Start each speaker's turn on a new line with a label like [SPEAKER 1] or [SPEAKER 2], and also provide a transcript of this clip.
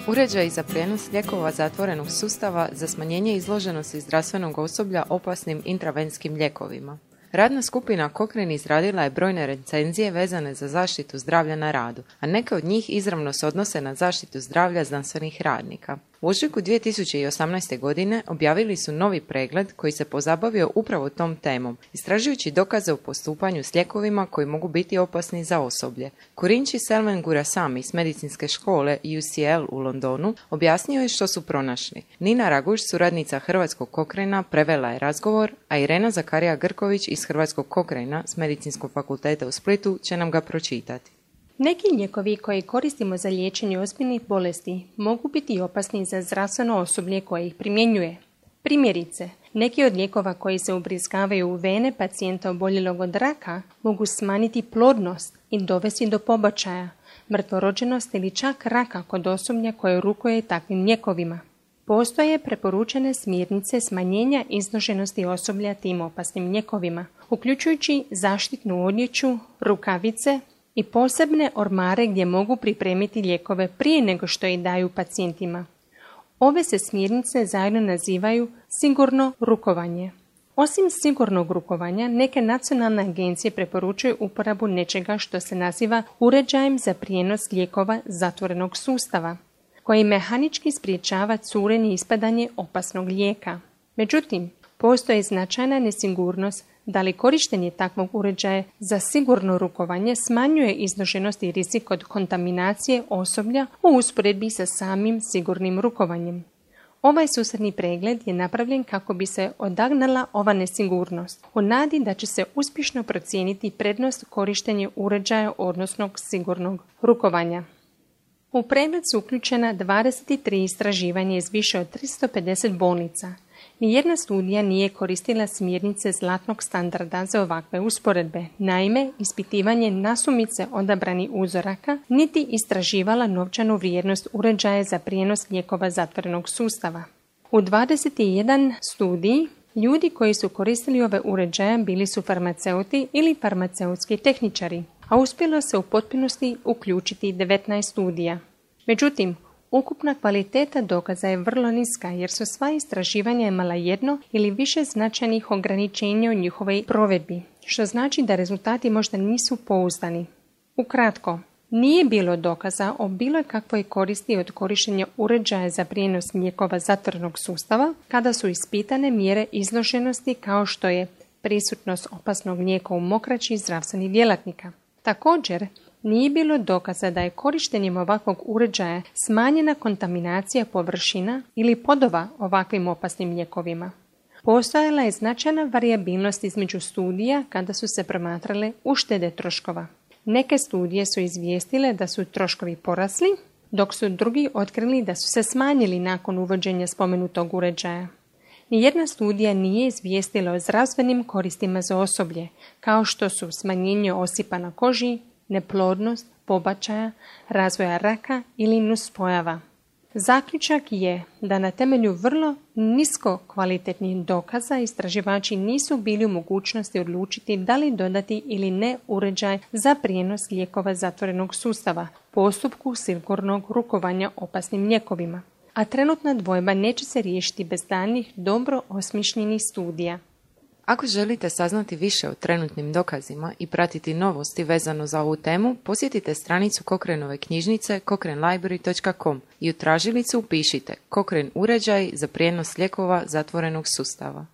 [SPEAKER 1] Uređaji za prijenos lijekova zatvorenog sustava za smanjenje izloženosti zdravstvenog osoblja opasnim intravenskim lijekovima. Radna skupina Cochrane izradila je brojne recenzije vezane za zaštitu zdravlja na radu, a neke od njih izravno se odnose na zaštitu zdravlja znanstvenih radnika. U ožujku 2018. godine objavili su novi pregled koji se pozabavio upravo tom temom, istražujući dokaze o postupanju s lijekovima koji mogu biti opasni za osoblje. Kurinči Selven Gurasami s medicinske škole UCL u Londonu objasnio je što su pronašli. Nina Raguš, suradnica Hrvatskog Cochrana, prevela je razgovor, a Irena Zakarija Grković iz Hrvatskog Cochrana s Medicinskog fakulteta u Splitu će nam ga pročitati.
[SPEAKER 2] Neki lijekovi koje koristimo za liječenje ozbiljnih bolesti mogu biti opasni za zdravstveno osoblje koje ih primjenjuje. Primjerice, neki od lijekova koji se ubrizgavaju u vene pacijenta oboljelog od raka mogu smanjiti plodnost i dovesti do pobačaja, mrtvorođenost ili čak raka kod osoblja koje rukuje takvim lijekovima. Postoje preporučene smjernice smanjenja izloženosti osoblja tim opasnim lijekovima, uključujući zaštitnu odjeću, rukavice i posebne ormare gdje mogu pripremiti lijekove prije nego što ih daju pacijentima. Ove se smjernice zajedno nazivaju sigurno rukovanje. Osim sigurnog rukovanja, neke nacionalne agencije preporučuju uporabu nečega što se naziva uređajem za prijenos lijekova zatvorenog sustava, koji mehanički spriječava curenje i ispadanje opasnog lijeka. Međutim, postoji značajna nesigurnost da li korištenje takvog uređaja za sigurno rukovanje smanjuje izloženost i rizik od kontaminacije osoblja u usporedbi sa samim sigurnim rukovanjem. Ovaj susredni pregled je napravljen kako bi se odagnala ova nesigurnost, u nadi da će se uspješno procijeniti prednost korištenja uređaja odnosno sigurnog rukovanja. U pregled su uključena 23 istraživanja iz više od 350 bolnica. Nijedna studija nije koristila smjernice zlatnog standarda za ovakve usporedbe. Naime, ispitivanje nasumice odabranih uzoraka niti istraživala novčanu vrijednost uređaja za prijenos lijekova zatvorenog sustava. U 21 studiji ljudi koji su koristili ove uređaje bili su farmaceuti ili farmaceutski tehničari, a uspjelo se u potpunosti uključiti 19 studija. Međutim, ukupna kvaliteta dokaza je vrlo niska jer su sva istraživanja imala jedno ili više značajnih ograničenja u njihovoj provedbi, što znači da rezultati možda nisu pouzdani. Ukratko, nije bilo dokaza o bilo kakvoj koristi od korištenja uređaja za prijenos lijekova zatvorenog sustava kada su ispitane mjere izloženosti kao što je prisutnost opasnog lijeka u mokraći zdravstvenih djelatnika. Također, nije bilo dokaza da je korištenjem ovakvog uređaja smanjena kontaminacija površina ili podova ovakvim opasnim lijekovima. Postojala je značajna varijabilnost između studija kada su se promatrale uštede troškova. Neke studije su izvijestile da su troškovi porasli, dok su drugi otkrili da su se smanjili nakon uvođenja spomenutog uređaja. Nijedna studija nije izvijestila o zdravstvenim koristima za osoblje, kao što su smanjenje osipa na koži, neplodnost, pobačaja, razvoja raka ili nuspojava. Zaključak je da na temelju vrlo nisko kvalitetnih dokaza istraživači nisu bili u mogućnosti odlučiti da li dodati ili ne uređaj za prijenos lijekova zatvorenog sustava, postupku sigurnog rukovanja opasnim lijekovima. A trenutna dvojba neće se riješiti bez daljnjih dobro osmišljenih studija.
[SPEAKER 1] Ako želite saznati više o trenutnim dokazima i pratiti novosti vezano za ovu temu, posjetite stranicu Cochranove knjižnice cochranelibrary.com i u tražilicu upišite Cochrane uređaj za prijenos lijekova zatvorenog sustava.